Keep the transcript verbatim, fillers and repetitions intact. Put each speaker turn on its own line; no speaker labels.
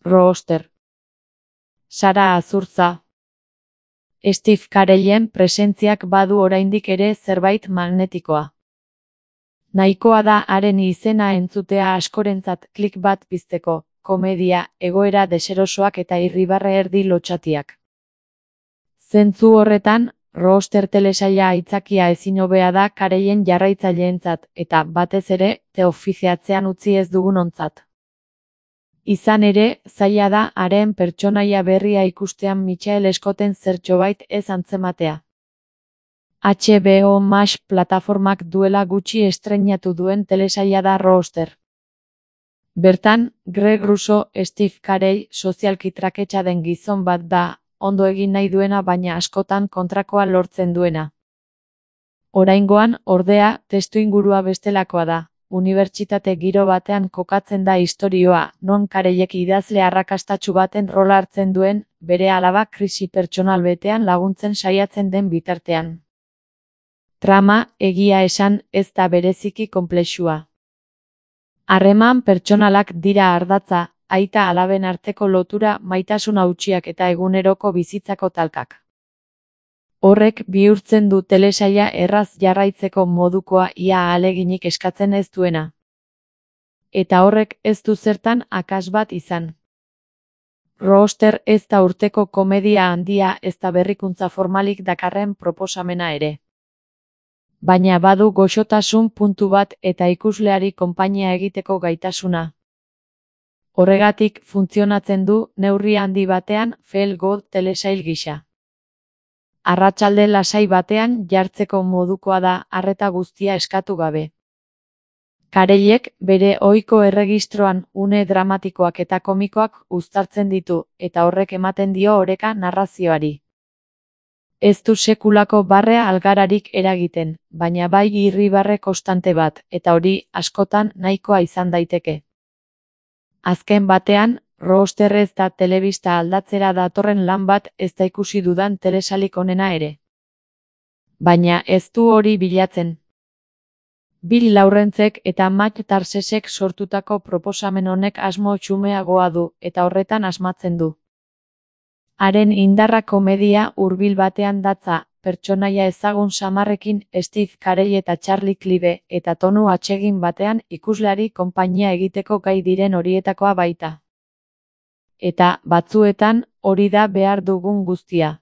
Rooster. Sara Azurtza. Steve Carellen presentziak badu oraindik ere zerbait magnetikoa. Nahikoa da haren izena entzutea askorentzat klik bat pizteko, komedia, egoera deserosoak eta irribarre erdi lotxatiak. Zentzu horretan, Rooster telesaila aitzakia ezin hobea da Carellen jarraitzaileentzat eta, batez ere, teofiziatzean utzi ez dugunontzat. Izan ere, zaila da haren pertsonaia berria ikustean Michael Scotten zertxobait ez antzematea. H B O Max plataformak duela gutxi estreinatu duen telesaila da Rooster. Bertan, Greg Russo, Steve Carell sozialki traketsa den gizon bat da, ondo egin nahi duena baina askotan kontrakoa lortzen duena. Oraingoan, ordea, testuingurua bestelakoa da. Unibertsitate giro batean kokatzen da istorioa, non Carellek idazle arrakastatsu baten rola hartzen duen, bere alaba krisi pertsonal betean laguntzen saiatzen den bitartean. Trama, egia esan, ez da bereziki konplexua. Harreman pertsonalak dira ardatza, aita alaben arteko lotura, maitasun hautsiak eta eguneroko bizitzako talkak. Horrek bihurtzen du telesaila erraz jarraitzeko modukoa ia ahaleginik eskatzen ez duena. Eta horrek ez du zertan akats bat izan. Rooster ez da urteko komedia handia ez da berrikuntza formalik dakarren proposamena ere. Baina badu goxotasun puntu bat eta ikusleari konpainia egiteko gaitasuna. Horregatik funtzionatzen du neurri handi batean feel good telesail gisa. Arratsalde lasai batean jartzeko modukoa da arreta guztia eskatu gabe. Carellek bere ohiko erregistroan une dramatikoak eta komikoak uztartzen ditu eta horrek ematen dio oreka narrazioari. Ez du sekulako barre algararik eragiten, baina bai irribarre konstante bat, eta hori askotan nahikoa izan daiteke. Azken batean, Rooster ez da telebista aldatzera datorren lan bat ez da ikusi dudan telesailik onena ere. Baina ez du hori bilatzen. Bill Lawrencek eta Matt Tarsesek sortutako proposamen honek asmo xumeagoa du eta horretan asmatzen du. Haren indarra komedia hurbil batean datza, pertsonaia ezagun samarrekin Steve Carell eta Charlie Clive eta tonu atsegin batean ikusleari konpainia egiteko gai diren horietakoa baita. Eta, batzuetan, hori da behar dugun guztia.